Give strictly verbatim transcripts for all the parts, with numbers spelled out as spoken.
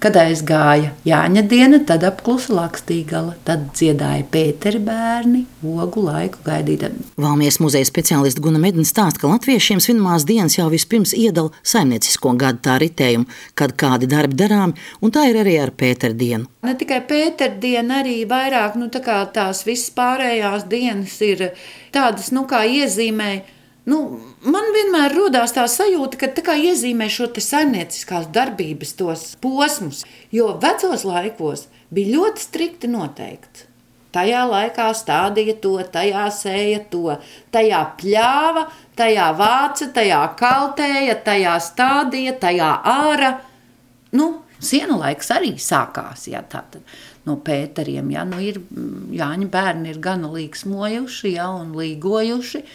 Kad aizgāja Jāņa diena, tad apklusa Lakstīgala, tad dziedāja Pēteri bērni, ogu laiku gaidītami. Valmieras muzeja speciāliste Guna Medne stāsta, ka latviešiem svinamās dienas jau vispirms iedala saimniecisko gadu tā ritējumu, kad kādi darbi darām, un tā ir arī ar Pētera dienu. Ne tikai Pētera diena, arī vairāk, nu tā kā tās visas pārējās dienas ir tādas, nu kā iezīmē. Nu, man vienmēr rodās tā sajūta, ka tā kā iezīmē šo te saimnieciskās darbības tos posmus, jo vecos laikos bija ļoti strikti noteikts. Tajā laikā stādīja to, tajā sēja to, tajā pļāva, tajā vāca, tajā kaltēja, tajā stādīja, tajā āra. Nu, sienu laiks arī sākās, jā, tātad no Pēteriem, jā, nu ir Jāņa bērni ir gana līksmojuši, jā, un līgojuši.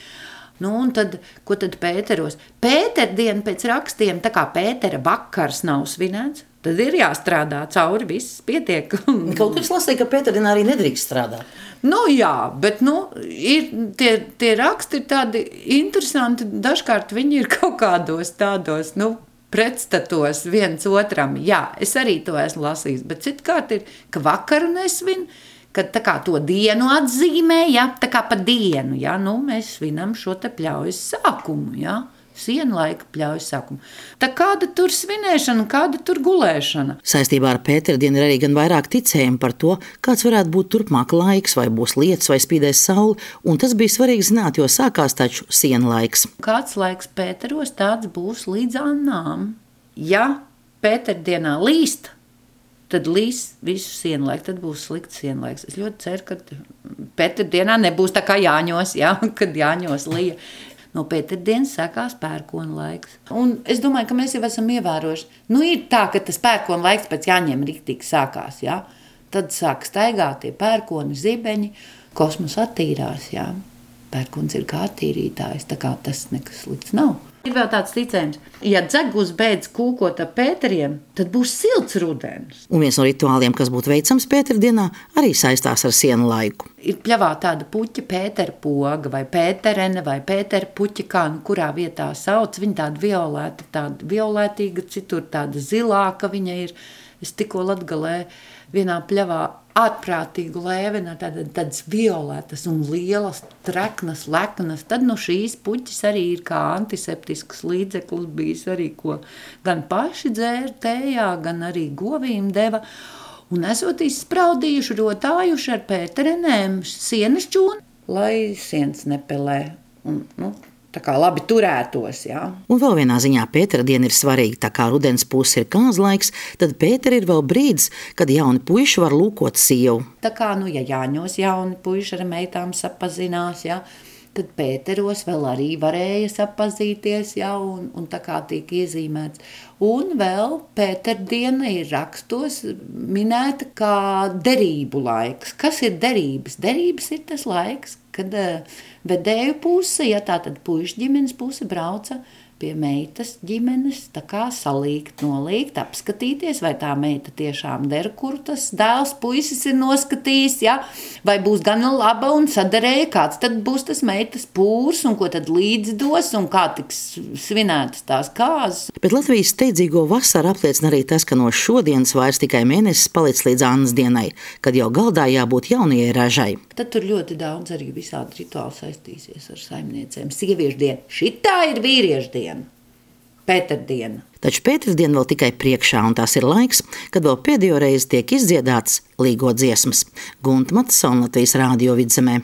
Nu, un tad, ko tad Pēteros? Pētera diena pēc rakstiem, tā kā Pētera vakars nav svinēts, tad ir jāstrādā cauri, viss pietiek. Kaut kas lasīja, ka Pētera dienā arī nedrīkst strādāt. Nu jā, bet nu, ir, tie, tie raksti ir tādi interesanti, dažkārt viņi ir kaut kādos tādos, nu, pretstatos viens otram. Jā, es arī to esmu lasījis, bet citkārt ir, ka vakaru nesvin, kad tā kā to dienu atzīmē, ja, tā kā pa dienu, ja, nu, mēs svinam šo te pļaujas sākumu, ja, sienu laika pļaujas sākumu. Tā kāda tur svinēšana, kāda tur gulēšana? Saistībā ar Pētera dienu ir arī gan vairāk ticējumi par to, kāds varētu būt turpmāk laiks, vai būs lietus, vai spīdēs saule, un tas bija svarīgi zināt, jo sākās taču sienu laiks. Kāds laiks Pēteros, tāds būs līdz annām. Ja Pētera dienā līst, tad līs visu sienlaiku, tad būs slikts sienlaiks. Es ļoti ceru, ka Pētera dienā nebūs tā kā Jāņos, ja, kad Jāņos lija. No Pētera dienas sākās pērkona laiks. Un es domāju, ka mēs jau esam ievērojuši. Nu, ir tā, ka tas pērkona laiks pēc Jāņiem riktīgi sākās, ja. Tad sāk staigāt tie pērkoni zibeņi, kosmos attīrās, ja. Pērkons ir kā attīrītājs, tā kā tas nekas slikts nav. Ir vēl tāds ticējums, ja dzegus beidz kūkot ar Pēteriem, tad būs silts rudens. Un viens no rituāliem, kas būtu veicams Pētera dienā, arī saistās ar sienu laiku. Ir pļavā tāda puķa Pētera poga vai Pēterene vai Pētera puķa, kā nu kurā vietā sauc. Viņa tāda violēta, tāda violētīga, citur tāda zilāka viņa ir. Es tikko Latgalē vienā pļavā ārprātīgu lēvenu, tādas, tādas violētas un lielas, treknas, leknas. Tad no šīs puķis arī ir kā antiseptisks līdzeklis bijis arī, ko gan paši dzēra tējā, gan arī govīm deva. Un esot izspraudījuši, rotājuši ar Pēterenēm sienas čūni, lai sienas nepelē. Un, nu, tā kā labi turētos, jā. Un vēl vienā ziņā Pētera diena ir svarīga, tā kā rudens puse ir kāzlaiks, tad Pētera ir vēl brīdis, kad jauni puiši var lūkot sievu. Tā kā, nu, ja Jāņos jauni puiši ar meitām sapazinās, jā, tad Pēteros vēl arī varēja sapazīties, jā, un, un tā kā tiek iezīmēts. Un vēl Pētera diena ir rakstos minēta kā derību laiks. Kas ir derības? Derības ir tas laiks, kad uh, vedēju puse, ja tā tad puišu ģimenes puse brauca pie meitas ģimenes, tā kā salīgt, nolīgt, apskatīties, vai tā meita tiešām der, kur tas dēls puisis ir noskatījis, ja? Vai būs gan laba un sadarēja, kāds tad būs tas meitas pūrs, un ko tad līdzi dos, un kā tiks svinētas tās kāzas. Bet Latvijas steidzīgo vasaru apliecina arī tas, ka no šodienas vairs tikai mēnesis palic līdz Annas dienai, kad jau galdā jābūt jaunajai ražai. Tad tur ļoti daudz arī visādi rituāli saistīsies ar saimniecēm. Sieviešu diena, šitā ir vīriešu diena. Pētera diena. Taču Pētera diena vēl tikai priekšā, un tās ir laiks, kad vēl pēdējo reizi tiek izdziedāts līgo dziesmas. Gunta Matsona, Latvijas Rādio Vidzemē.